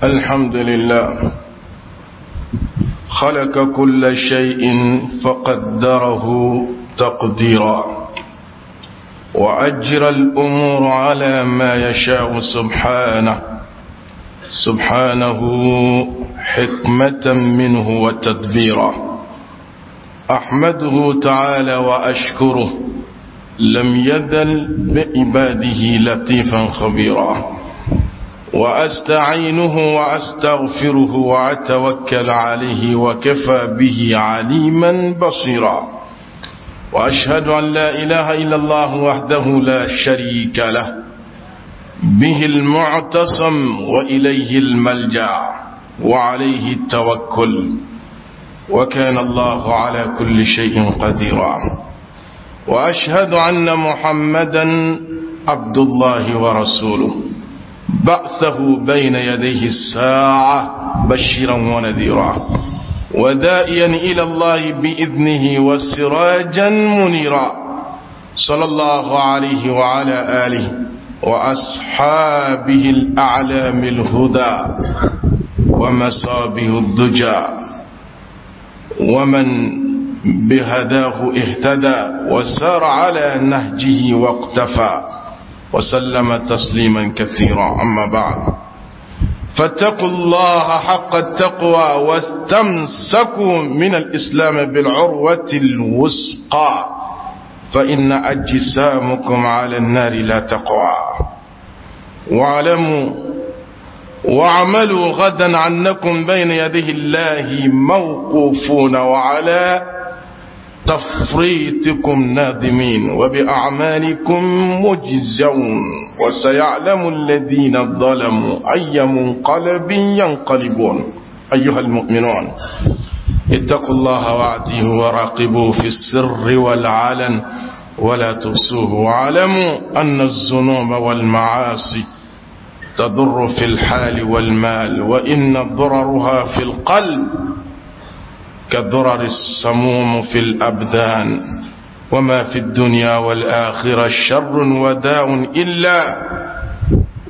الحمد لله خلق كل شيء فقدره تقديرا وأجرى الأمور على ما يشاء سبحانه سبحانه حكمة منه وتدبيرا أحمده تعالى وأشكره لم يذل بعباده لطيفا خبيرا وأستعينه وأستغفره وأتوكل عليه وكفى به عليما بصيرا وأشهد أن لا إله إلا الله وحده لا شريك له به المعتصم وإليه الملجأ وعليه التوكل وكان الله على كل شيء قديرا وأشهد أن محمدا عبد الله ورسوله بعثه بين يديه الساعة بشيرا ونذيرا ودائيا إلى الله بإذنه وسراجا منيرا صلى الله عليه وعلى آله وأصحابه الأعلام الهدى ومصابه الدجى ومن بهداه اهتدى وسار على نهجه واقتفى وسلم تسليما كثيرا أما بعد فاتقوا الله حق التقوى واستمسكوا من الإسلام بالعروة الوثقى فإن أجسامكم على النار لا تقوى واعلموا واعملوا غدا عنكم بين يديه الله موقوفون وعلى تفريطكم نادمين وبأعمالكم مجزون وسيعلم الذين ظلموا أي منقلب ينقلبون أيها المؤمنون اتقوا الله وأعطيه وراقبوه في السر والعلن ولا تحصوه واعلموا أن الذنوب والمعاصي تضر في الحال والمال وإن ضررها في القلب كضرر السموم في الأبدان وما في الدنيا والآخرة شر وداء إلا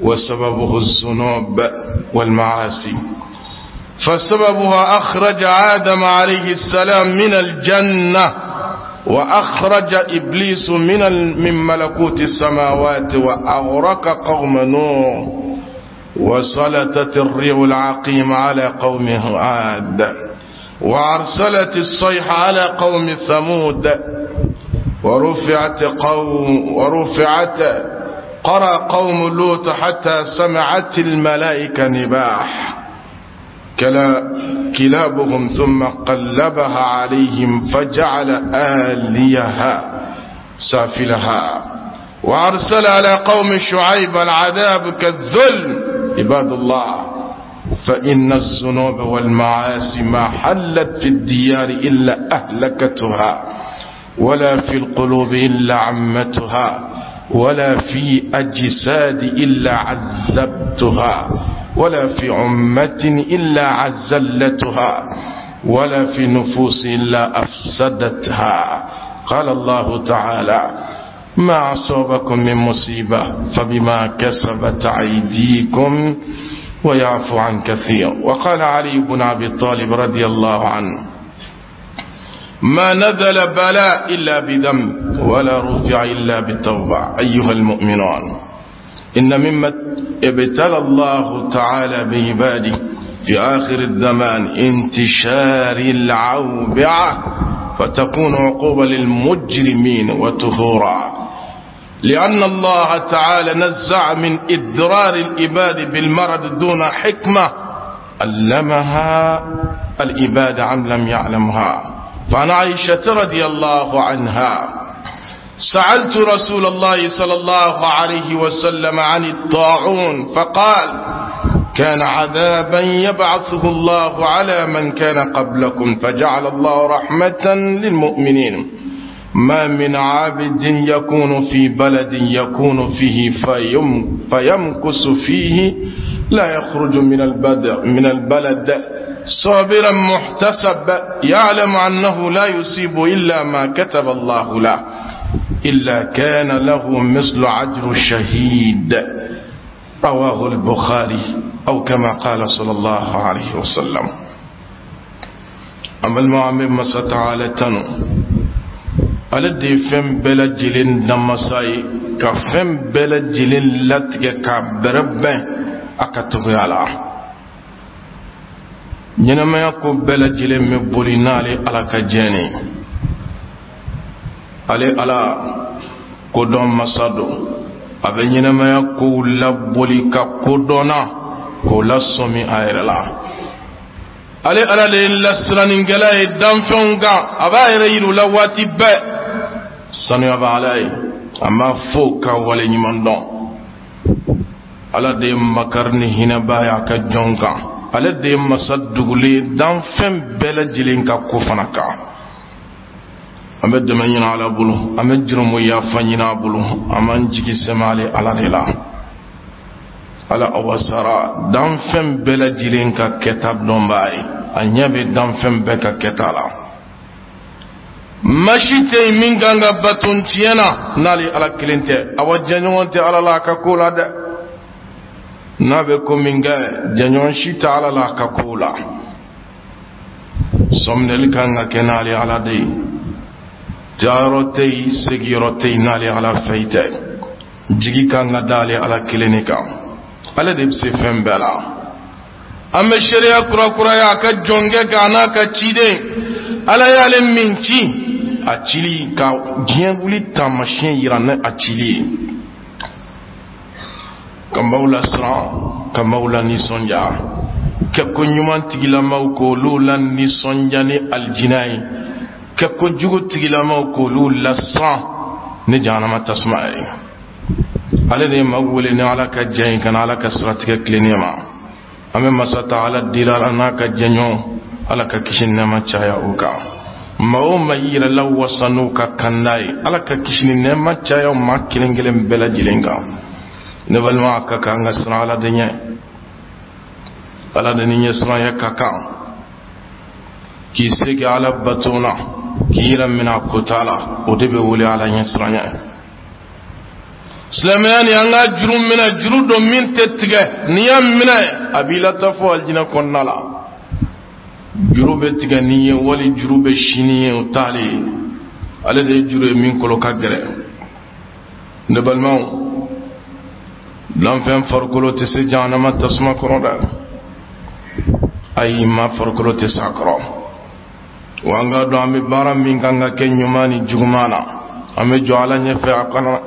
وسببه الذنوب والمعاصي فسببها أخرج آدم عليه السلام من الجنة وأخرج إبليس من من ملكوت السماوات وأغرق قوم نوح وسلطت الريح العقيم على قوم عاد وأرسلت الصيحة على قوم ثمود ورفعت قوم ورفعت قرى قوم لوط حتى سمعت الملائكة نباح كلابهم ثم قلبها عليهم فجعل آليها سافلها وأرسل على قوم شعيب العذاب كالذل عباد الله فإن الذنوب والمعاصي ما حلت في الديار إلا أهلكتها ولا في القلوب إلا عمتها ولا في أجساد إلا عذبتها ولا في أمة إلا عزلتها ولا في نفوس إلا أفسدتها قال الله تعالى ما أصابكم من مصيبة فبما كسبت أيديكم ويعفو عن كثير وقال علي بن أبي طالب رضي الله عنه ما نزل بلاء إلا بذنب ولا رفع إلا بالتوبة أيها المؤمنون إن مما ابتلى الله تعالى بعباده في آخر الزمان انتشار العوبعة فتكون عقوبة للمجرمين وتهورا لأن الله تعالى نزع من إضرار العباد بالمرض دون حكمة علمها العباد عن لم يعلمها فعن عائشة رضي الله عنها سألت رسول الله صلى الله عليه وسلم عن الطاعون فقال كان عذابا يبعثه الله على من كان قبلكم فجعل الله رحمة للمؤمنين ما من عبد يكون في بلد يكون فيه فيم فيمكث فيه لا يخرج من البلد, من البلد صابرا محتسب يعلم أنه لا يصيب إلا ما كتب الله له إلا كان له مثل عجر الشهيد رواه البخاري أو كما قال صلى الله عليه وسلم. An balima, an bɛ Masa Taala tanu. Ale de ye fɛn bɛɛ lajɛlen damasa ye, ka fɛn bɛɛ lajɛlen latigɛ k'a bɛrɛbɛn a ka togoya la. Ɲɛnamaya ko bɛɛ lajɛlen bɛ boli n'ale Ala ka jɛn ye. Ale Ala kodɔn masa don. A bɛ ɲɛnamaya kow laboli ka kodɔnna k'o lasɔmi a yɛrɛ la. Ale Ala de ye lasiranikɛla ye danfɛnw kan. A b'a yɛrɛ yir'u la waati bɛɛ. Sanuya bɛ Ala ye, an b'a fo ka wale ɲuman dɔn. Ala de ye makari ni hinɛba ye a ka jɔn kan. Ale de ye masa dugulen ye danfɛn bɛɛ lajɛlen ka ko fana kan. An bɛ dɛmɛ ɲini Ala bolo, an bɛ jurumu yafa ɲini a bolo, an b'an jigi sɛmɛ ale Ala de la. Ala a wasara danfɛn bɛɛ lajɛlen ka kɛta dɔnbaa ye. A ɲɛ bɛ danfɛn bɛɛ ka kɛta la. Maa si tɛ yen min kan ka bato tiɲɛ na n'ale Ala kelen tɛ. Awa, jɛɲɔgɔn tɛ Ala la a ka ko la dɛ. N'a bɛ ko min kɛ, jɛɲɔgɔn si tɛ Ala la a ka ko la. Sɔminɛli kan ka kɛ n'ale Ala de ye. Taayɔrɔ tɛ yen, segiyɔrɔ tɛ yen n'ale Ala fɛ i tɛ. Jigi kan ka da ale Ala kelen de kan. Ale de bɛ se fɛn bɛɛ la. An bɛ seereya kurakuraya a ka jɔnkɛ kan, a n'a ka ciden. Ala y'ale min ci, a cili ka diɲɛ wuli taamasiyɛn yira ni a cili ye, ka maaw lasiran, ka maaw la nisɔndiya, kɛ ko ɲuman tigilamaw k'olu la nisɔndiya ni alijinɛ ye, kɛ ko jugu tigilamaw k'olu lasiran ni jahanama tasuma ye. Ale de ye maaw wele ni Ala ka jɛ ye ka na Ala ka siratigɛ tilennen ma. An bɛ Masa Taala deli Ala n'a ka jɛɲɔgɔn, Ala ka kisi nɛɛma caya o kan. Maa o maa y'i yɛrɛ lawasa n'u ka kanda ye, Ala ka kisi ni nɛɛma caya maa kelen kelen bɛɛ lajɛlen kan. Ne balima, a ka kan an ka siran Ala de ɲɛ. Ala de ni ɲɛsiranya ka kan. K'i se kɛ Ala bato na, k'i yɛrɛ minɛ a kota la, o de bɛ wele Ala ɲɛsiranya. Silamɛya ni an ka juru minɛ, juru don min tɛ tigɛ. N'i y'a minɛ, a b'i lataa fo alijinɛ kɔnɔna la. Juru bɛ tigɛ n'i ye wali juru bɛ sini ye, o t'ale ye. Ale de ye juru ye min kolo ka gɛrɛ. Ne balimaw, lanfɛn farikolo tɛ se jahanama tasuma kɔrɔ dɛ. Ayi, ma farikolo tɛ se a kɔrɔ. Wa an ka dɔn, an bɛ baara min kan ka kɛ ɲuman ni juguman na, an bɛ jɔ Ala ɲɛfɛ a kɔnɔ.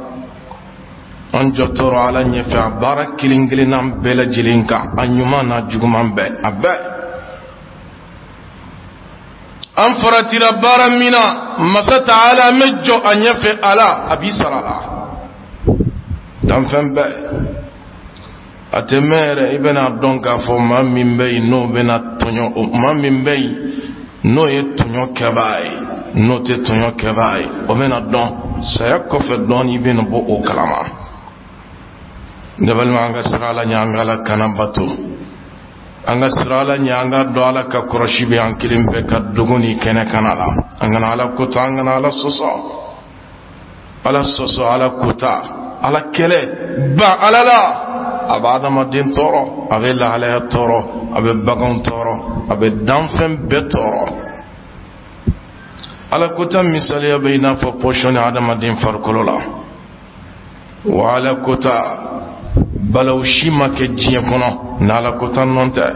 An jɔtɔrɔ Ala ɲɛfɛ a baara kelen kelenna bɛɛ lajɛlen kan, a ɲuman n'a juguman bɛɛ, a bɛɛ. An faratira baara min na, Masa Taala, an bɛ jɔ a ɲɛfɛ. Ala a b'i sara la. Danfɛn bɛɛ, a tɛ mɛn yɛrɛ, i bɛna dɔn k'a fɔ maa min bɛ yen n'o bɛna tɔɲɔ, o maa min bɛ yen n'o ye tɔɲɔ kɛbaa ye, n'o tɛ tɔɲɔ kɛbaa ye, o bɛna dɔn saya kɔfɛ dɔɔni. I bɛna bɔ o kalama. Ne balima, an ka siran Ala ɲɛ, an ka Ala kana bato. An ka siran Ala ɲɛ, an ka dɔn Ala ka kɔrɔsi bɛ an kelen bɛɛ ka dogo ni kɛnɛ kana la. An kana Ala kota, an kana Ala sɔsɔ. Ala sɔsɔ, Ala kota, Ala kɛlɛ, ban Ala la, a bɛ adamaden tɔɔrɔ, a bɛ lahalaya tɔɔrɔ, a bɛ baganw tɔɔrɔ, a bɛ danfɛn bɛɛ tɔɔrɔ. Ala kota misaliya bɛ i n'a fɔ pɔsɔni adamaden farikolo la. Wa Ala kota, balaw si ma kɛ diɲɛ kɔnɔ n'Ala kota nɔ tɛ.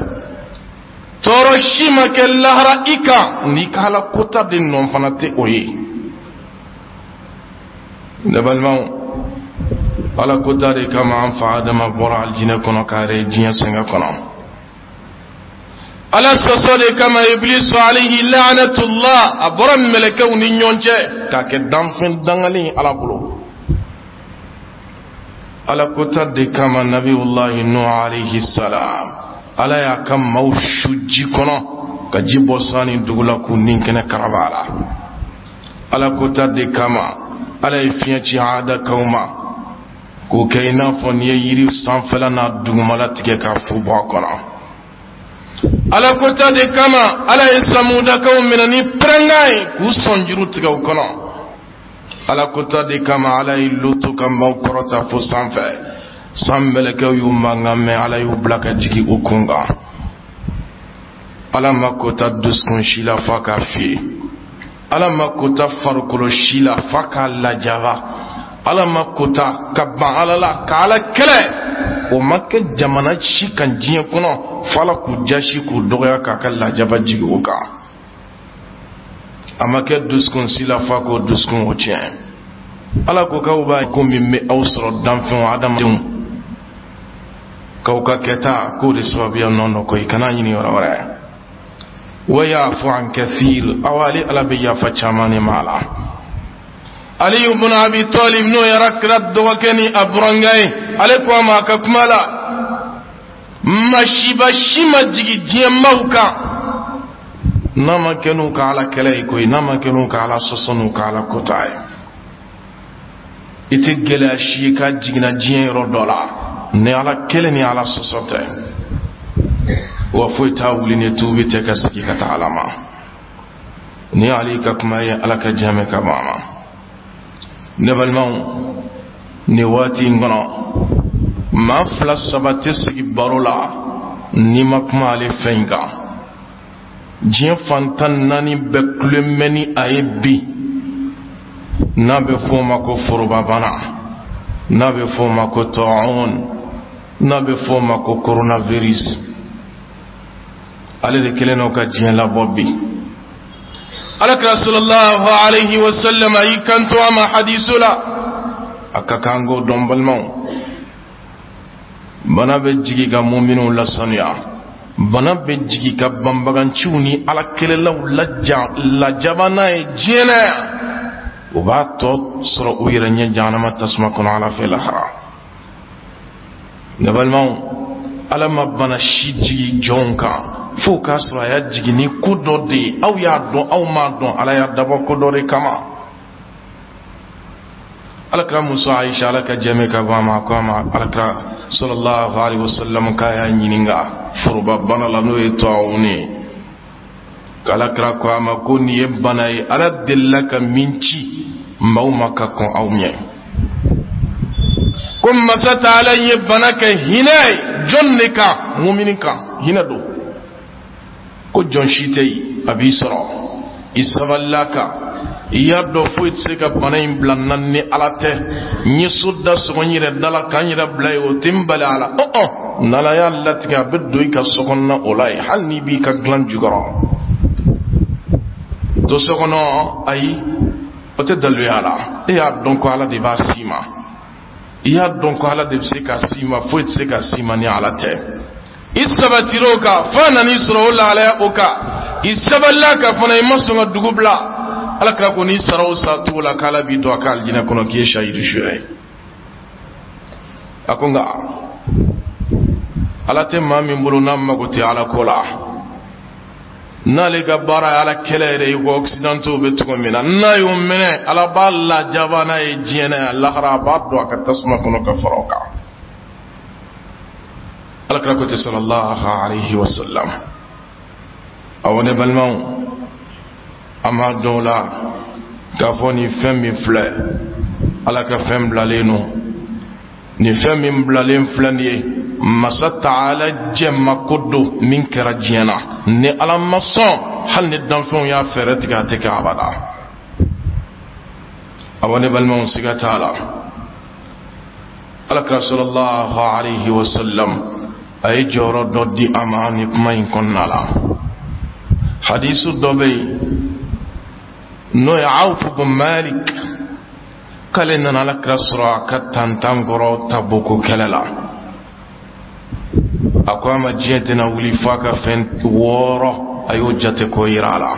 Tɔɔrɔ si ma kɛ lahara i kan n'i ka Ala kota de nɔ fana tɛ o ye. Ne balimaw, Ala kota de kama an fa Adama bɔra alijinɛ kɔnɔ k'a yɛrɛ diɲɛ sɛgɛn kɔnɔ. Ala sɔsɔ de kama Iblisu alayhi la'anatullah, a bɔra mɛlɛkɛw ni ɲɔgɔn cɛ k'a kɛ danfɛn dangalen Ala bolo. Ala kota de kama Nabiyullahi Nuh alayhi salam, Ala y'a ka maaw su ji kɔnɔ ka ji bɔ san ni dugu la k'u ni kɛnɛ karaba la. Ala kota de kama Ala ye fiɲɛ ci Adakaw ma k'o kɛ i n'a fɔ n'i ye yiri sanfɛla n'a dugumala tigɛ k'a fu bɔ a kɔnɔ. Ala kota de kama Ala ye Samudakaw minɛ ni pɛrɛnkan ye k'u sɔnjuru tigɛ u kɔnɔ. Ala kota de kama Ala ye Lutu ka maaw kɔrɔta fo sanfɛ. San mɛlɛkɛw y'u mankan mɛn, Ala y'u bila ka jigin u kun kan. Ala ma kota dusukun si la f'a k'a fiyɛ, Ala ma kota farikolo si la f'a k'a lajaba, Ala ma kota ka ban Ala la ka Ala kɛlɛ, o ma kɛ jamana si kan diɲɛ kɔnɔ fo Ala k'u jasi k'u dɔgɔya k'a ka lajaba jigin u kan. A ma kɛ dusukun si la f'a k'o dusukun o tiɲɛ. Ala ko k'aw b'a ko min bɛ aw sɔrɔ, danfɛnw, adamadenw, k'aw ka kɛta k'o de sababuya nɔ nɔ koyi, kana ɲini yɔrɔ wɛrɛ. Wa yafu an kathir, aw ale Ala bɛ yafa caman de ma la. Ali ibn Abi Talib, n'o yɛrɛ kira dɔgɔkɛ ni a burankɛ ye, ale ko a ma a ka kuma la, masiba si ma jigin diɲɛ maaw kan n'a ma kɛ n'u ka Ala kɛlɛ ye koyi, n'a ma kɛ n'u ka Ala sɔsɔ n'u ka Ala kota ye. I tɛ gɛlɛya si ye k'a jiginna diɲɛ yɔrɔ dɔ la ni Ala kɛlɛ ni Ala sɔsɔ tɛ. Wa foyi t'a wuli ni tuubi tɛ ka sigi ka taa Ala ma. Ni Ali ka kuma ye, Ala ka jɛmɛ ka bɔ a ma. Ne balimaw, nin waati in kɔnɔ, maa fila saba tɛ sigi baro la n'i ma kuma ale fɛn in kan. Diɲɛ fantan naani bɛɛ kulen bɛ ni a ye bi, n'a bɛ fɔ o ma ko forobabana, n'a bɛ fɔ o ma ko tɔɔn, n'a bɛ fɔ o ma ko coronavirus. Ale de kelen n'o ka diɲɛ labɔ bi. Alakira sallallahu alaihi wa sallam a y'i kanto a ma hadiso la, a ka kan k'o dɔn, balimaw. Bana bɛ jigi ka muminw lasanuya, bana bɛ jigi ka banbaganciw ni Ala kɛlɛlaw lajaba n'a ye diɲɛ na yan, u b'a tɔ sɔrɔ u yɛrɛ ɲɛ jahanama tasuma kɔnɔ Ala fɛ lahara. Ne balimaw, Ala ma bana si jigi jɔnw kan fo k'a sɔrɔ a y'a jigin ni ko dɔ de ye. Aw y'a dɔn, aw m'a dɔn, Ala y'a dabɔ ko dɔ de kama. Alakira muso Aisha, Ala ka jɛmɛ ka bɔ a ma, ko a ma alakira sallallahu alaihi wasallam k'a y'a ɲininka foroba bana la, n'o ye tɔɔrɔ ye, k'alakira ko a ma ko nin ye bana ye Ala delila ka min ci maaw ma ka kɔn aw ɲɛ, ko masa taala ye bana kɛ hinɛ ye jɔn de kan? Mumini kan hinɛ don. Ko jɔn si tɛ yen a b'i sɔrɔ i sabalila kan, i y'a dɔn foyi tɛ se ka bana in bila n na ni Ala tɛ, n ye so da sɔgɔ n yɛrɛ da la k'an yɛrɛ bila yen, o tɛ n bali a la. Ɔn, n'Ala y'a latigɛ, a bɛ don i ka so kɔnɔna o la yen, hali n'i b'i ka dilan jukɔrɔ to so kɔnɔ. Ayi, o tɛ daluya la. E y'a dɔn ko Ala de b'a s'i ma, i y'a dɔn ko Ala de bɛ se k'a s'i ma, foyi tɛ se k'a s'i ma ni Ala tɛ. I sabatir'o kan f'a nan'i sɔrɔ o lahalaya o kan, i sabalila ka fana, i ma sɔn ka dugu bila. Ala kira ko n'i sara o sa cogo la, k'Ala b'i don a ka alijinɛ kɔnɔ k'i ye sahidu suya ye. A ko nka Ala tɛ maa min bolo n'a mago tɛ Ala ko la, n'ale ka baara ye Ala kɛlɛ yɛrɛ ye ko occidentaux bɛ cogo min na, n'a y'o minɛ, Ala b'a lajaba n'a ye diɲɛ na yan, lahara a b'a don a ka tasuma kɔnɔ ka fara o kan. Ala kira ko ten sallallahu alaihi wa sallam. Awɔ, ne balimaw, an b'a dɔn o la k'a fɔ nin fɛn min filɛ, Ala ka fɛn bilalen don. Nin fɛn min bilalen filɛ nin ye, masa taala jɛmako don min kɛra diɲɛ na. Ni Ala ma sɔn, hali ni danfɛnw y'a fɛɛrɛ tigɛ, a tɛ kɛ abada. Awɔ, ne balimaw, siga t'a la, Alakira sallallahu alaihi wa sallam a ye jɔyɔrɔ dɔ di a ma ni kuma in kɔnɔna la. Hadisu dɔ bɛ yen, n'o ye Awfu bin Malik, k'ale nana Alakira sɔrɔ a ka tantan kɔrɔ Tabuku kɛlɛ la. A ko a ma diɲɛ tɛna wuli f'a ka fɛn wɔɔrɔ, a y'o jate k'o yira a la.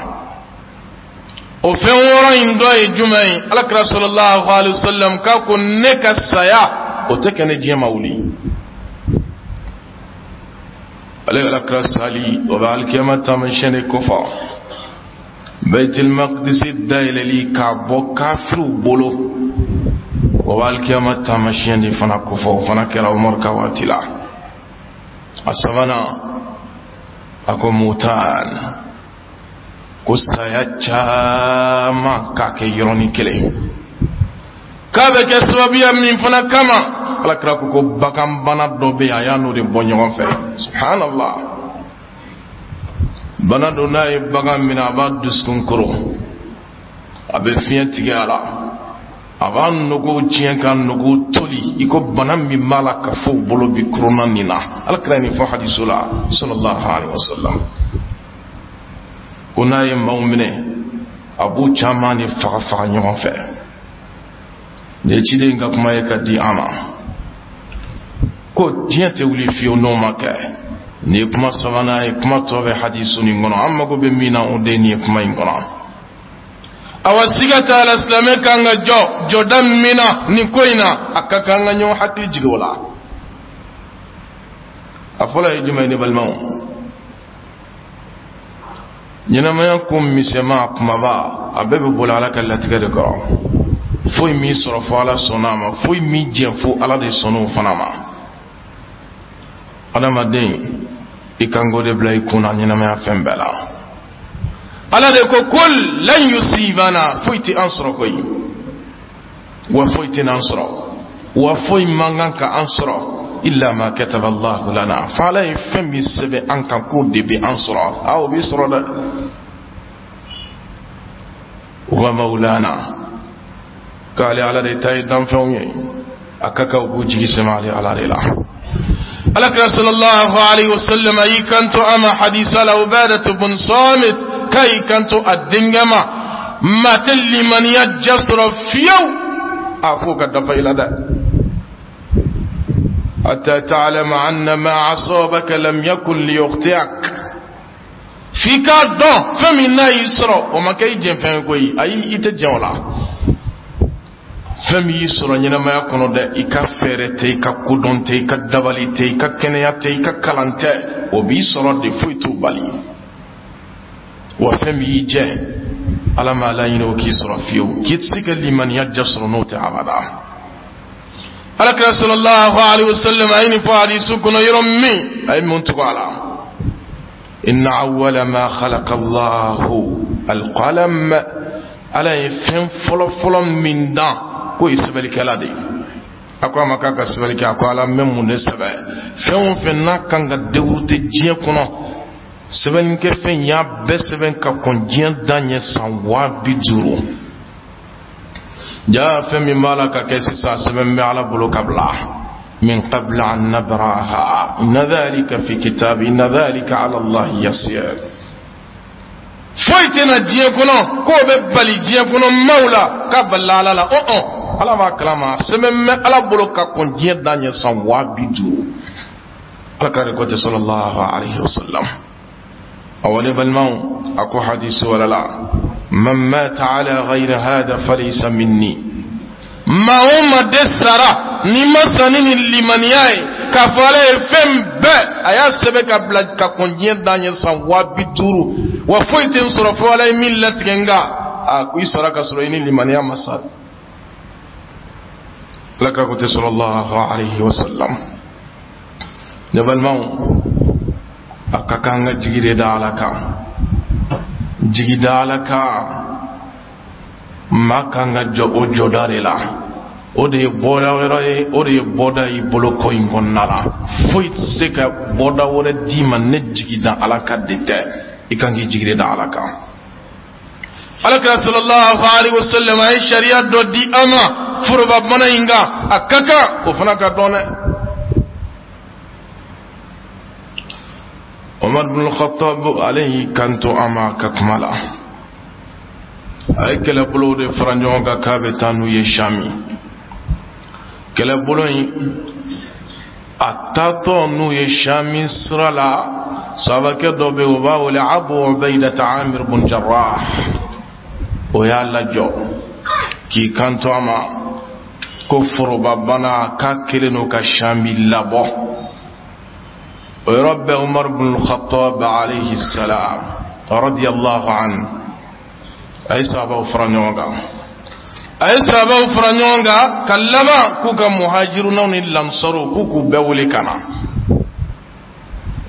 O fɛn wɔɔrɔ in dɔ ye jumɛn ye? Alakira sallallahu alaihi wa sallam k'a ko ne ka saya, o tɛ kɛ ne diɲɛ ma wuli. Ale Alakira sali, o bɛ alikiyama taamasiyɛn de kofɔ. Baitul Maqdisi dayɛlɛli k'a bɔ kafiriw bolo, o bɛ alikiyama taamasiyɛn de fana kofɔ. O fana kɛra Umaru ka waati la. A sabanan, a ko mutan, ko saya caman k'a kɛ yɔrɔnin kelen, k'a bɛ kɛ sababuya min fana kama. Ala kira ko ko baganbana dɔ bɛ yen, a y'a n'o de bɔ ɲɔgɔn fɛ. Subhanallah, bana don, n'a ye bagan minɛ, a b'a dusukun koro, a bɛ fiɲɛ tigɛ a la, a b'a nogow tiɲɛ ka nogow toli, i ko bana min b'a la ka fɔ u bolo bi korona nin na. Ala kira ye nin fɔ hadiso la, sallallahu alaihi wasallam, ko n'a ye maaw minɛ, a b'u caman de faga faga ɲɔgɔn fɛ. Nin ye ciden ka kuma ye ka di an ma, ko diɲɛ tɛ wuli fiyewu n'o ma kɛ. Nin ye kuma sabanan ye, kuma tɔ bɛ hadisu nin kɔnɔ. An mago bɛ min na, o de ye nin ye kuma in kɔnɔ. Awa, siga t'a la, silamɛ kan ka jɔ jɔda min na nin ko in na, a ka kan ka ɲɔgɔn hakili jigin o la. A fɔlɔ ye jumɛn ye, ne balimaw? Ɲɛnamaya ko misɛnman kumaba, a bɛɛ bɛ boli Ala ka latigɛ de kɔrɔ. Foyi m'i sɔrɔ fo Ala sɔnna a ma, foyi m'i jɛn fo Ala de sɔnna o fana ma. Adamaden, i kan k'o de bila i kun na ɲɛnamaya fɛn bɛɛ la. Ala de ko kul lan yusibana, foyi tɛ an sɔrɔ koyi, wa foyi tɛ n'an sɔrɔ, wa foyi man kan ka an sɔrɔ, illa ma kataba Allahu lana, fo Ala ye fɛn min sɛbɛn an kan k'o de bɛ an sɔrɔ. A o b'i sɔrɔ dɛ. Wa maulana, k'ale Ala de ta ye danfɛnw ye, a ka kan u k'u jigi sɛmɛ ale Ala de la. Alakira sallallahu alaihi wasallam a y'i kanto a ma hadisa la, Ubadatu bun Samit k'a y'i kanto a denkɛ ma: maa tɛ limaniya ja sɔrɔ fiyewu, a f'o ka dafa i la dɛ, hatta ta'lama anna ma asabaka lam yakun liyukhti'ak, f'i k'a dɔn fɛn min n'a y'i sɔrɔ, o ma kɛ i jɛnfɛn ye koyi. Ayi, i tɛ jɛn o la. Fɛn min y'i sɔrɔ ɲɛnamaya kɔnɔ dɛ, i ka fɛɛrɛ tɛ, i ka kodɔn tɛ, i ka dabali tɛ, i ka kɛnɛya tɛ, i ka kalan tɛ, o b'i sɔrɔ de, foyi t'o bali. Wa fɛn min y'i jɛ, Ala m'a laɲini o k'i sɔrɔ fiyewu, k'i tɛ se ka limaniya ja sɔrɔ n'o tɛ abada. Alakira sallallahu alaihi wasallam a ye nin fɔ hadisu kɔnɔ yɔrɔ min, a ye mun tugu a la? Inna awwala ma khalaqa Allahu alqalam, Ala ye fɛn fɔlɔ-fɔlɔ min dan, k'o ye sɛbɛnnikɛla de ye. A ko a ma k'a ka sɛbɛnni kɛ. A ko: Ala, n bɛ mun de sɛbɛn? Fɛn o fɛn n'a kan ka dérouler diɲɛ kɔnɔ, sɛbɛnnikɛfɛn y'a bɛɛ sɛbɛn ka kɔn diɲɛ dan ɲɛ san 50 000. Jaa, fɛn min b'a la ka kɛ sisan, sɛbɛn bɛ Ala bolo ka bila, min qabla an nabraha, inna dhalika fi kitab, inna dhalika ala Allah yasir. Foyi tɛna diɲɛ kɔnɔ k'o bɛ bali diɲɛ kɔnɔ maaw la k'a balila Ala la. Ɔ ɔ, Ala b'a kalama, sɛbɛn bɛ Ala bolo ka kɔn diɲɛ dan ɲɛ san 50 000. Ala k'a de ko tɛ, sallallahu alaihi wasallam. Awa, ne balimaw, a ko hadisi wɛrɛ la: man mata ala ghayri hada falaysa minni. Maa o maa de sara n'i ma sa ni nin limaniya ye k'a fɔ Ala ye fɛn bɛɛ a y'a sɛbɛn ka bila ka kɔn diɲɛ dan ɲɛ san 50 000, wa foyi tɛ n sɔrɔ fo Ala ye min latigɛ, nka a ko i sara ka sɔrɔ i ni limaniya ma sa. Ala ka ko tɛ, sallallahu alaihi wasallam. Ne balimaw, a ka kan ka jigi de da Ala kan, jigi da Ala kan. Maa kan ka jɔ o jɔda de la, o de ye bɔda wɛrɛ ye, o de ye bɔda y'i bolo ko in kɔnɔna la. Foyi tɛ se ka bɔda wɛrɛ d'i ma ne jigi da Ala kan de tɛ. I kan k'i jigi de da Ala kan. Alakira sallallahu alaihi wasallam a ye sariya dɔ di an ma foroba bana in kan, a ka kan o fana ka dɔn dɛ. Omar bin Khattab, ale y'i kanto a ma ka kuma la, a ye kɛlɛbolow de fara ɲɔgɔn kan k'a bɛ taa n'u ye Shami. Kɛlɛbolo in, a taatɔ n'u ye Shami sira la, sahabakɛ dɔ bɛ yen, o b'a wele Abu Ubaidata Amir bun Jarrah, o y'a lajɔ k'i kanto a ma ko forobabana k'a kɛlen don ka Shami labɔ. O yɔrɔ bɛɛ, Umar bin Khattab alayhi salam radiyallahu anhu, a ye sahabaw fara ɲɔgɔn kan, a ye sahabaw fara ɲɔgɔn kan ka laban k'u ka muhajirunaw ni lansaruw k'u bɛɛ wele ka na.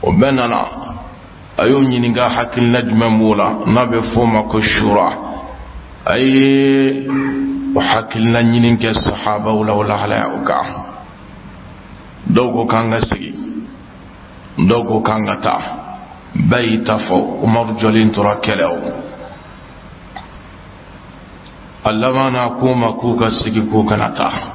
O bɛɛ nana, a y'o ɲininka hakilina jumɛn b'o la n'a bɛ f'o ma ko shura. A ye o hakilina ɲini kɛ sahabaw la o lahalaya o kan. Dɔw ko k'an ka segin, dɔw ko k'an ka taa. Bɛɛ y'i ta fɔ. Umaru jɔlen tora kɛlɛ o. A laban na, k'u ma k'u ka segin, k'u kana taa.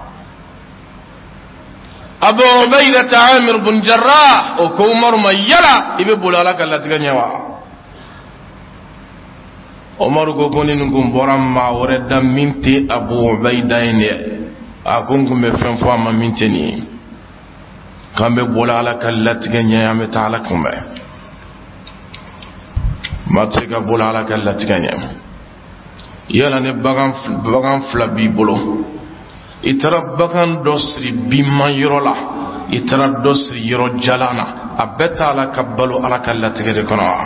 Abu Ubaidata Amir bun Jarrah, o ko Umaru ma: yala i bɛ boli Ala ka latigɛ ɲɛ wa? Umaru ko ko ni nin kun bɔra maa wɛrɛ da min tɛ Abu Ubaida ye dɛ, a ko n kun bɛ fɛn fɔ a ma min tɛ nin ye. K'an bɛ boli Ala ka latigɛ ɲɛ, an bɛ taa Ala kunbɛn. Maa tɛ se ka boli Ala ka latigɛ ɲɛ. Yala ni bagan fila b'i bolo, i taara bagan dɔ siri binman yɔrɔ la, i taara dɔ siri yɔrɔ jalan na, a bɛɛ t'a la ka balo Ala ka latigɛ de kɔnɔ wa?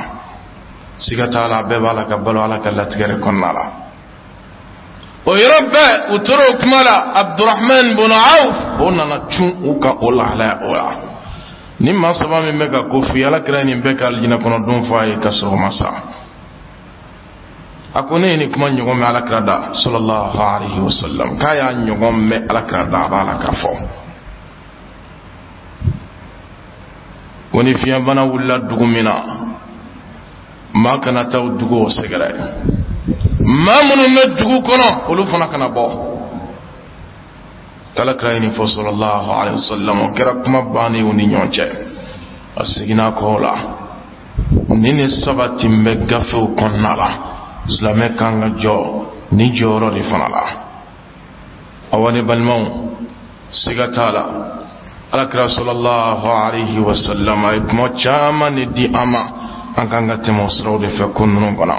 Siga t'a la, a bɛɛ b'a la ka balo Ala ka latigɛ de kɔnɔna la. O yɔrɔ bɛɛ, u tora o kuma la, Abdurahman bun Awf, o nana cun u kan o lahalaya o la. Ni maa saba min bɛ ka ko f'i ye, Ala kira nin bɛɛ ka alijinɛ kɔnɔ don fɔ a ye ka sɔrɔ o ma sa. A ko ne ye nin kuma ɲɔgɔn mɛn Alakira da, sallallahu alaihi wasallam, k'a y'a ɲɔgɔn mɛn Alakira da, a b'a la k'a fɔ ko ni fiɲɛbana wulila dugu min na, maa kana taa o dugu o sɛgɛrɛ, maa minnu bɛ dugu kɔnɔ, olu fana kana bɔ. K'Ala kira ye nin fɔ, sallallahu alaihi wasallam. O kɛra kuma bannen u ni ɲɔgɔn cɛ. A seginna kɔ la. Nin ne sabati bɛ gafew kɔnɔna la. Silamɛ kan ka jɔ ni jɔyɔrɔ de fana la. Awa ne balimaw, siga t'a la, Alakira sallallahu alaihi wasallam a ye kuma caman de di an ma, an kan ka tɛmɛ o siraw de fɛ ko ninnu kɔnɔ.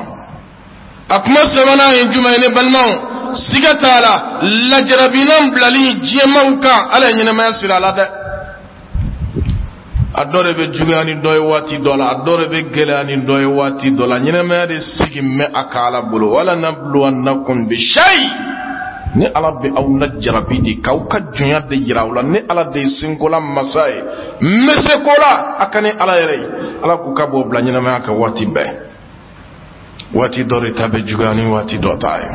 A kuma sabanan ye jumɛn ye, ne balimaw? Siga t'a la, lajarabinan bilali diɲɛmaw kan, Ala ye ɲɛnamaya siri a la dɛ. A dɔ de bɛ juguya ni dɔ ye waati dɔ la, a dɔ de bɛ gɛlɛya ni dɔ ye waati dɔ la. Ɲɛnamaya de sigi mɛ a ka Ala bolo. Wala nabluwannakum bi shay, ni Ala bɛ aw lajarabi de k'aw ka jɔnya de yira aw la. Ni Ala de ye senkola masa ye, n bɛ se ko la a ka ni Ala yɛrɛ ye. Ala k'u ka b'o bila ɲɛnamaya kan waati bɛɛ. Waati dɔ de ta bɛ juguya ni waati dɔ ta ye.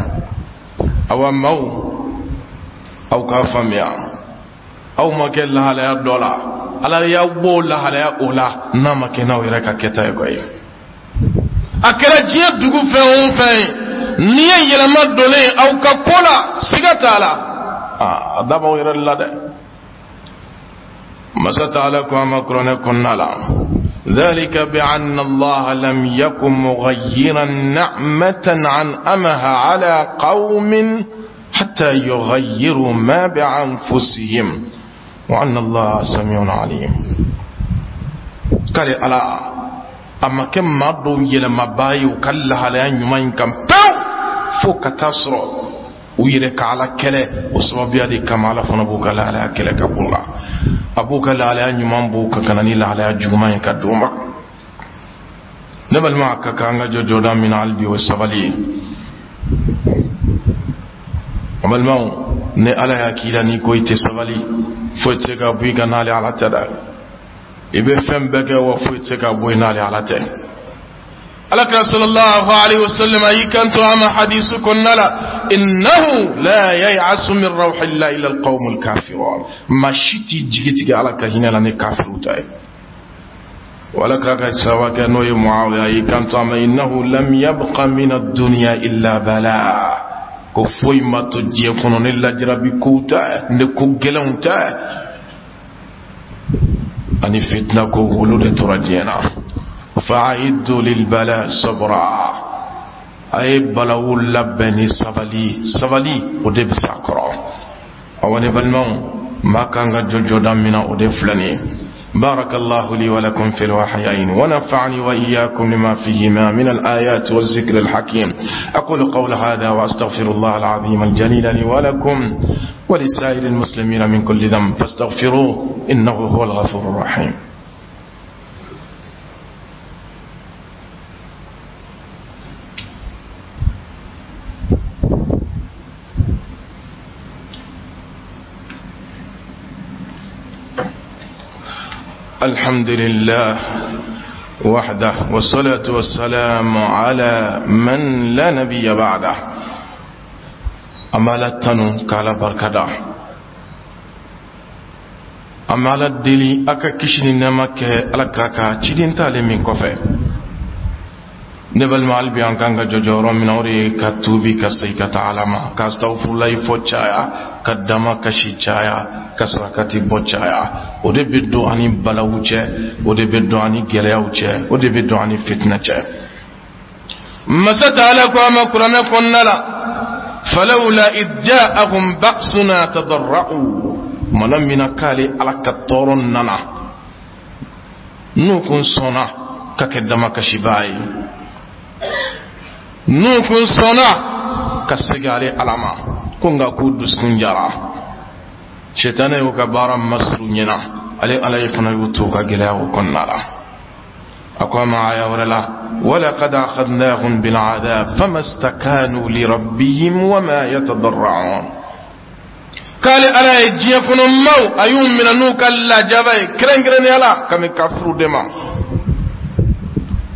Awa maaw, aw k'a faamuya, aw ma kɛ lahalaya dɔ la, Ala y'aw bɔ lahalaya o la, n'a ma kɛ n'aw yɛrɛ ka kɛta ye koyi. A kɛra diɲɛ dugu fɛn o fɛn ye, n'i ye yɛlɛma donnen aw ka ko la, siga t'a la, a da b'aw yɛrɛ de la dɛ. Masa taala ko a ma kuranɛ kɔnɔna la: ذلك بأن الله لم يكن مغيرا نعمة أنعمها على قوم حتى يغيروا ما بأنفسهم وأن الله سميع عليم. K'ale Ala a ma kɛ maa dɔw yɛlɛmabaa ye u ka lahalaya ɲuman in kan pewu, fo ka taa sɔrɔ u yɛrɛ ka Ala kɛlɛ. O sababuya de kama, Ala fana b'u ka lahalaya kɛlɛ ka b'u la, a b'u ka lahalaya ɲuman b'u kan ka na ni lahalaya juguman ye ka d'u ma. Ne balima, a ka kan an ka jɔ jɔda min na hali bi, o ye sabali ye. An balimaw, ni Ala y'a k'i la n'i ko i tɛ sabali, foyi tɛ se ka bɔ i kan n'ale Ala tɛ dɛ. I bɛ fɛn bɛɛ kɛ wa, foyi tɛ se ka bɔ i n'ale Ala tɛ. Alakira sallallahu alaihi wasallam a y'i kanto a ma hadisu kɔnɔna la: innahu la yay'asu min rawhillahi illa alqawmul kafirun. Maa si t'i jigi tigɛ Ala ka hinɛ la ni kafiru ta ye. Wala kira ka sahabakɛ n'o ye Muawiya y'i kanto a ma: innahu lam yabqa min ad-dunya illa bala. Ko foyi ma to diɲɛ kɔnɔ ni lajarabi kow tɛ, ni ko gɛlɛnw tɛ, ani fitina ko, olu de tora diɲɛ na. Fa'iddu lil bala sabra, a ye balawu labɛn ni sabali. Sabali, o de bɛ s'a kɔrɔ. Awa ne balimaw, maa kan ka jɔ jɔda min na, o de filɛ nin ye. بارك الله لي ولكم في الوحيين ونفعني وإياكم لما فيهما من الآيات والذكر الحكيم. أقول قول هذا وأستغفر الله العظيم الجليل لي ولكم ولسائر المسلمين من كل ذنب، فاستغفروه إنه هو الغفور الرحيم. الحمد لله وحده، والصلاة والسلام على من لا نبي بعده. An b'Ala tanu k'Ala barikada. An bɛ Ala deli a ka kisi ni nɛɛma kɛ Ala kira kan ciden t'ale min kɔfɛ. Ne balima, hali bi an kan ka jɔ jɔyɔrɔ min na, o de ye ka tuubi ka segin ka taa Ala ma, ka astagfirulayi fɔ caya, ka dama kasi caya, ka sarakati bɔ caya. O de bɛ don ani balawu cɛ, o de bɛ don ani gɛlɛyaw cɛ, o de bɛ don ani fitinɛ cɛ. Masa taala ko a ma kuranɛ kɔnɔna la: falawla id ja'ahum ba'suna tadarra'u. Mana min na k'ale Ala ka tɔɔrɔ nana, n'u kun sɔnna ka kɛ damakasibaa ye, n'u kun sɔnna ka segin ale Ala ma ko, nka k'u dusukun jara, sɛtanɛ y'u ka baara masuru ɲɛna. Ale Ala ye fana y'u to u ka gɛlɛyaw kɔnɔna la. A ko a ma aya wɛrɛ la: walaqad akhadnahum bil'adab fama stakanu lirabbihim wama yatadarra'un. K'ale Ala ye diɲɛ kɔnɔ maaw, a y'u minɛ n'u ka lajaba ye, kɛrɛnkɛrɛnnenya la ka bɛn kafiriw de ma.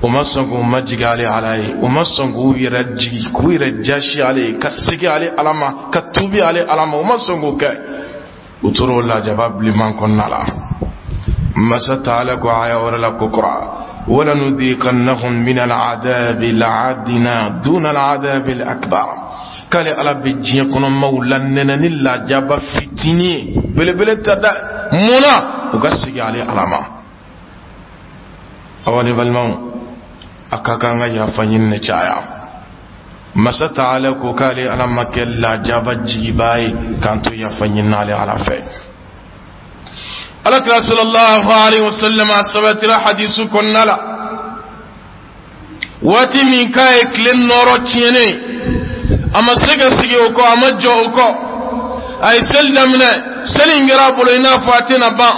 O ma sɔn k'u majigin ale Ala ye, o ma sɔn k'u yɛrɛ jigi, k'u yɛrɛ jasi ale ye, ka segin ale Ala ma, ka tuubi ale Ala ma. O ma sɔn k'o kɛ, u tora o lajaba bilenman kɔnɔna la. Masa taala ko aya wɛrɛ la ko kura: walanudhiqannahum min al'adabi al'adna duna al'adabi al'akbar. K'ale Ala bɛ diɲɛ kɔnɔ maaw lanɛnɛ ni lajaba fitinin ye, belebele tɛ dɛ. Mun na? U ka segin ale Ala ma. Awa ne balimaw, a ka kan ka yafa ɲini ne caya. Masa taala ko k'ale Ala ma kɛ lajaba jigibaa ye k'an to yafa ɲini ale Ala fɛ. Alakira sallallahu alaihi wasallam, a sabatira hadisu kɔnɔna la, waati min k'a ye tile nɔɔrɔ tiɲɛnen, a ma se ka sigi o kɔ, a ma jɔ o kɔ, a ye seli daminɛ. Seli in kɛra a bolo i n'a fɔ a tɛna ban.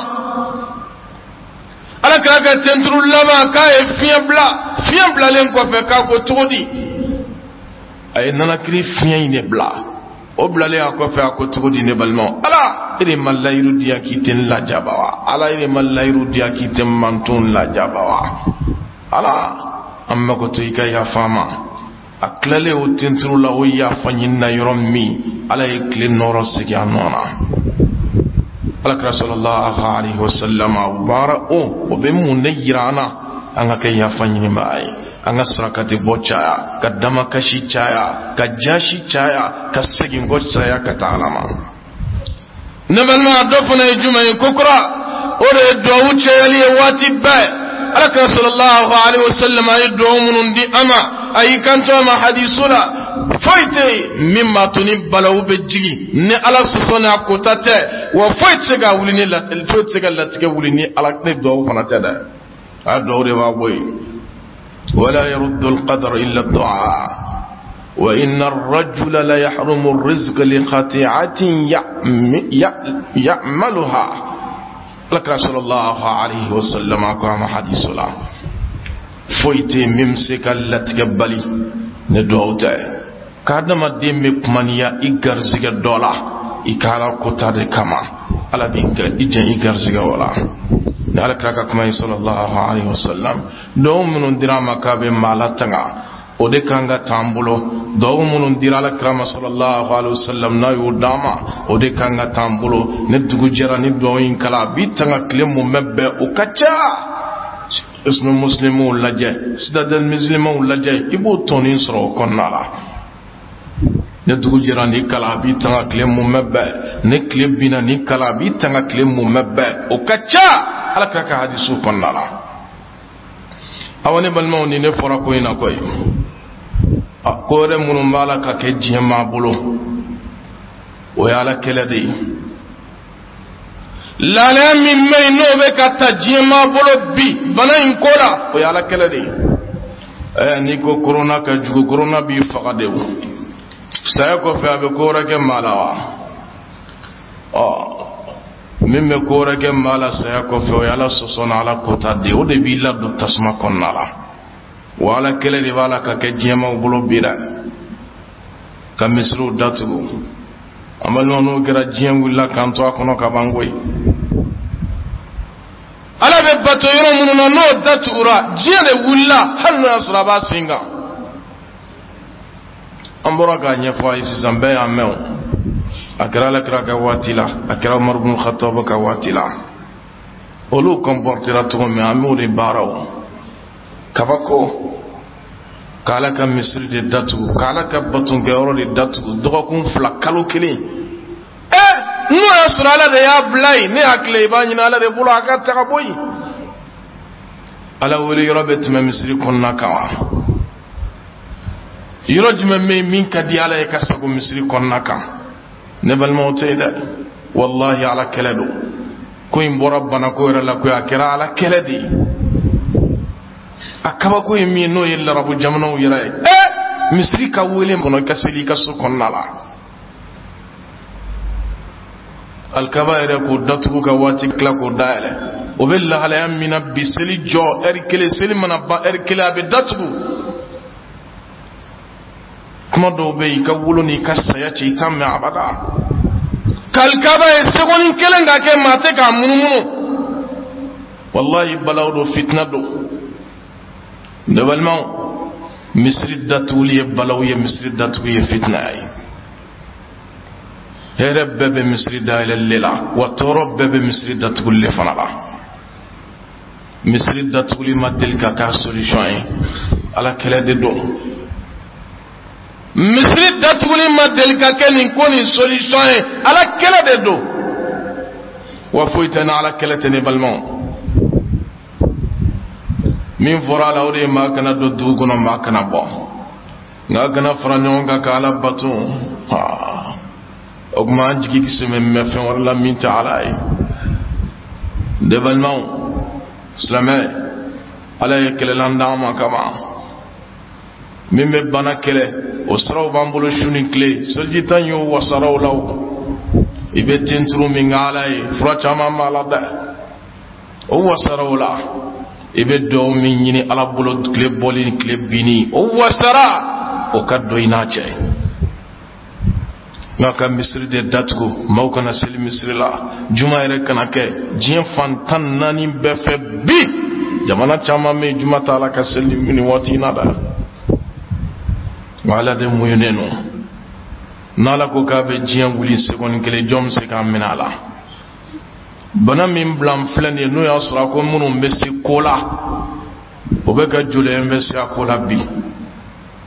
Ala kira ka tenturu laban, k'a ye fiɲɛ bila. Fiɲɛ bilalen kɔfɛ, k'a ko cogo di? A ye nanakiri fiɲɛ in de bila. O bilalen a kɔfɛ, a ko cogo di? Ne balimaw, Ala e de ma layiru di yan k'i tɛ n lajaba wa? Ala e de ma layiru di yan k'i tɛ n manton lajaba wa? Ala, an mago to i ka yafa ma. A tilalen o tenturu la, o yafa ɲinina yɔrɔ min, Ala ye tile nɔɔrɔ sigi a nɔ na. Alakira sallallahu alaihi wasallam, o baara o bɛ mun de yira an na? An ka kɛ yafa ɲinibaa ye, an ka sarakati bɔ caya, ka damakasi caya, ka jasi caya, ka segin kɔ caya ka taa Ala ma. Ne balima, dɔ fana ye jumɛn ye kokura? O de ye duwawu cayali ye waati bɛɛ. Alakira sallallahu alaihi wasallam, a ye duwawu minnu di an ma, a y'i kanto a ma hadisu la, foyi tɛ yen min b'a to ni balawu bɛ jigin ni Ala sɔsɔ ni a kota tɛ, wa foyi tɛ se ka wuli ni foyi tɛ se ka latigɛ wuli ni Ala ni duwawu fana tɛ dɛ. A duwawu de b'a bɔ yen. Wala yaruddu alqadar illa du'a wa inna ar-rajula la yahrumu ar-rizqa li khati'atin ya'maluha. Alakira sallallahu alaihi wasallam ko a ma hadisu la, foyi tɛ yen min bɛ se ka latigɛ bali ni duwawu tɛ. K'adamaden bɛ kumaniya i garizigɛ dɔ la, i ka Ala kota de kama, Ala b'i i jɛn i garizigɛ o la. Ni Ala kira ka kuma ye sallallahu alaihi wasallam, duwawu minnu dira a ma k'a bɛ maa latanga, o de kan ka t'an bolo. Duwawu minnu dira Ala kira ma sallallahu alaihi wasallam, n'a y'o d'an ma, o de kan ka t'an bolo. Ni dugu jɛra, ni duwawu in kala, a b'i tanga tile mun bɛ bɛn, o ka ca. Ismu muslimuw lajɛ, Citadelle musulmanw lajɛ, i b'o tɔnin sɔrɔ o kɔnɔna la. Ni dugu jɛra, ni kala, a b'i tanga tile mun bɛ bɛn. Ni tile binna, ni kala, a b'i tanga tile mun bɛ bɛn, o ka ca Ala kira ka hadisu kɔnɔna la. Awa ne balimaw, ni ne fɔra ko in na koyi, a ko wɛrɛ minnu b'a la ka kɛ diɲɛ maa bolo, o ye Ala kɛlɛ de ye. Lahalaya min bɛ yen, n'o bɛ ka ta diɲɛ maa bolo bi bana in ko la, o ye Ala kɛlɛ de ye. N'i ko korona ka jugu, korona b'i faga de. O saya kɔfɛ, a bɛ ko wɛrɛ kɛ maa la wa? Ɔ min bɛ ko wɛrɛ kɛ maa la saya kɔfɛ, o ye Ala sɔsɔ ni Ala kota de ye. O de b'i ladon tasuma kɔnɔna la. Wa Ala kɛlɛ de b'a la ka kɛ diɲɛmaw bolo bi dɛ, ka misiriw datugu. An balima, n'o kɛra, diɲɛ wulila k'an to a kɔnɔ ka ban koyi. Ala bɛ bato yɔrɔ minnu na, n'o datugura, diɲɛ de wulila, hali n'o y'a sɔrɔ a b'a sen kan. An bɔra k'a ɲɛfɔ a ye sisan, bɛɛ y'a mɛn. O a kɛra Ala kira ka waati la, a kɛra Umaru bin Khattab ka waati la. Olu comportera cogo min, an b'o de baara. O kabako k'Ala ka misiri de datugu, k'Ala ka batonkɛyɔrɔ de datugu dɔgɔkun 2, kalo kelen. Ɛ, n'o y'a sɔrɔ Ala de y'a bila yen, ne hakili i b'a ɲini Ala de bolo a ka taga bɔ yen. Ala wele yɔrɔ bɛ tɛmɛ misiri kɔnɔna kan wa? Yɔrɔ jumɛn bɛ yen min ka di Ala ye ka sago misiri kɔnɔna kan? Ne balimaw, tɛ yen dɛ. Walahi, Ala kɛlɛ don. Ko in bɔra banako yɛrɛ la koyi, a kɛra Ala kɛlɛ de ye. A kabako ye min ye, n'o ye larabu jamanaw yɛrɛ ye. Ɛ, misiri ka wele kɔnɔ, i ka seli i ka so kɔnɔna la. Alikaba yɛrɛ k'o datugu ka waati tila k'o dayɛlɛ, o bɛ lahalaya min na bi, seli jɔ ɛri kelen, seli mana ban ɛri kelen, a bɛ datugu. Kuma dɔw bɛ yen, i ka wolo n'i ka saya cɛ, i t'a mɛn abada. K'alikaba ye sekonin kelen ka kɛ maa tɛ k'a munumunu, wallahi balaw don, fitina don. Ne balimaw, misiri datuguli ye balaw ye, misiri datugu ye fitina ye. Hɛrɛ bɛɛ bɛ misiri dayɛlɛli la, wa tɔɔrɔ bɛɛ bɛ misiri datuguli le fana la. Misiri datuguli ma deli ka k'a solution ye, Ala kɛlɛ de don. Misiri datuguli ma deli ka kɛ nin ko nin solution ye, Ala kɛlɛ de don. Wa foyi tɛ ni Ala kɛlɛ tɛ. Ne balimaw, min fɔra a la, o de ye maa kana don dugu kɔnɔ, maa kana bɔ, nka kana fara ɲɔgɔn kan ka Ala bato. O tuma an jigi kisɛ bɛ mɛn fɛn wɛrɛ la min tɛ Ala ye. Ne balimaw silamɛ, Ala ye kɛlɛlan d'an ma kama min bɛ bana kɛlɛ, o siraw b'an bolo su ni tile. Seliji tan y'o wasaraw la, o i bɛ tenturu min kɛ Ala ye, fura caman b'a la dɛ, o wasaraw la. I bɛ dugawu min ɲini Ala bolo tile bɔli ni tile binni, o wasara, o ka dɔn i n'a cɛ. Nka ka misiri de datugu, maaw kana seli misiri la, juma yɛrɛ kana kɛ diɲɛ fan 14 bɛɛ fɛ bi, jamana caman bɛ yen, juma t'a la ka seli nin waati in na dɛ. Nka Ala de muɲunen don. N'Ala ko k'a bɛ diɲɛ wuli seconde kelen, jɔn bɛ se k'a minɛ a la? Bana min bila n filɛ nin ye, n'o y'a sɔrɔ a ko minnu bɛ se ko la, o bɛ ka joli investir a ko la bi.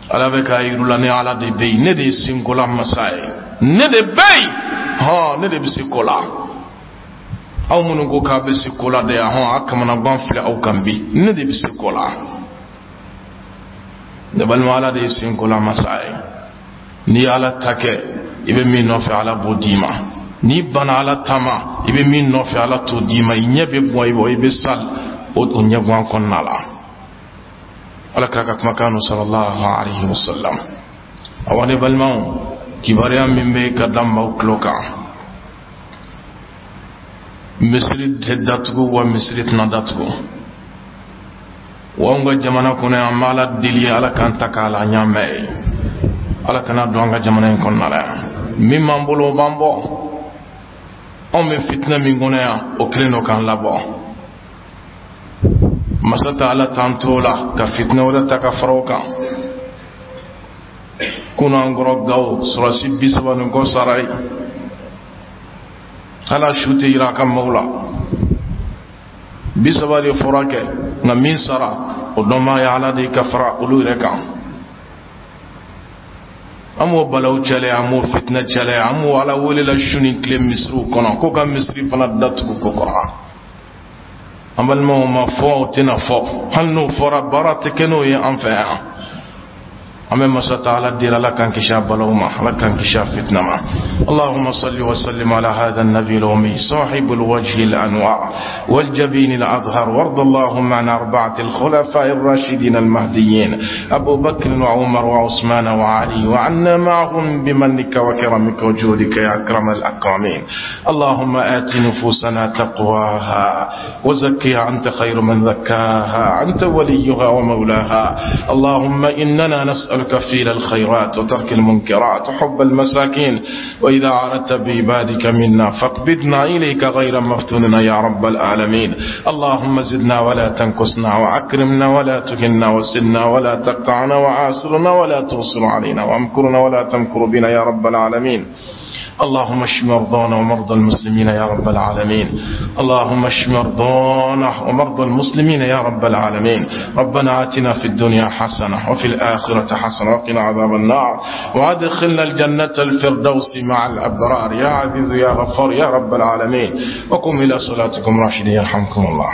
Ala bɛ k'a yiru la, ne Ala de bɛ yen, ne de ye senkola masa ye, ne de bɛ yen, hɔn, ne de bɛ se ko la. Aw minnu ko k'a bɛ se ko la dɛ, hɔn, a kamanagan filɛ aw kan bi. Ne de bɛ se ko la. Ne balima, Ala de ye senkola masa ye. N'i ye Ala ta kɛ, i bɛ min nɔfɛ, Ala b'o d'i ma. N'i banna Ala ta ma, i bɛ min nɔfɛ, Ala t'o d'i ma. I ɲɛ bɛ bɔ i bɔ, i bɛ sa o ɲɛguwan kɔnɔna la. Ala kira ka kumakan don, sallallahu alaihi wasallam. Awa ne balimaw, kibaruya min bɛ ka da maaw tulo kan, misiri tɛ datugu, wa misiri tɛna datugu. Wa anw ka jamana kɔnɔ yan, an bɛ Ala deli, Ala k'an ta k'a la ɲaamɛ ye, Ala kana don an ka jamana in kɔnɔna la yan. Min b'an bolo, o b'an bɔ. Anw bɛ fitinɛ min kɔnɔ yan, o kelen don k'an labɔ. Masa ta Ala t'an t'o la ka fitinɛ wɛrɛ ta ka fara o kan. Kunun an kɔrɔ Gawo, sɔrɔsi 30 ni kɔ sara ye, hali su tɛ yira a ka maaw la. 30 de fɔra kɛ, nka min sara, o dɔnbaa ye Ala de ye ka fara olu yɛrɛ kan. An b'o balaw cɛlɛ, an b'o fitinɛ cɛlɛ, an b'o Ala wele la su ni tile misiriw kɔnɔ ko ka misiri fana datugu ko kɔrɔ. An balimaw, ma fɔ, o tɛna fɔ. Hali n'o fɔra, baara tɛ kɛ n'o ye an fɛ yan. An bɛ masa ta Ala deli, Ala k'an kisi a balaw ma, Ala k'an kisi a fitna ma. اللهم صل وسلم على هذا النبي الأمي صاحب الوجه الأنوار والجبين الأظهر، وارض اللهم عن أربعة الخلفاء الراشدين المهديين، أبو بكر وعمر وعثمان وعلي، وعنا معهم بمنك وكرمك وجودك يا أكرم الأكرمين. اللهم آت نفوسنا تقواها وزكها، أنت خير من زكاها، أنت وليها ومولاها. اللهم إننا نسألك فعل الخيرات وترك المنكرات وحب المساكين، وإذا أردت بعبادك منا فاقبضنا إليك غير مفتوننا يا رب العالمين. اللهم زدنا ولا تنقصنا، وأكرمنا ولا تهنا، وسدنا ولا تقطعنا، وآثرنا ولا تؤثر علينا، وامكرنا ولا تمكر بنا يا رب العالمين. اللهم اشف مرضانا ومرضى المسلمين يا رب العالمين. اللهم اشف مرضانا ومرضى المسلمين يا رب العالمين. ربنا آتنا في الدنيا حسنة وفي الآخرة حسنة وقنا عذاب النار، وادخلنا الجنة الفردوس مع الأبرار يا عزيز يا غفار يا رب العالمين. وقم إلى صلاتكم راشدين يرحمكم الله.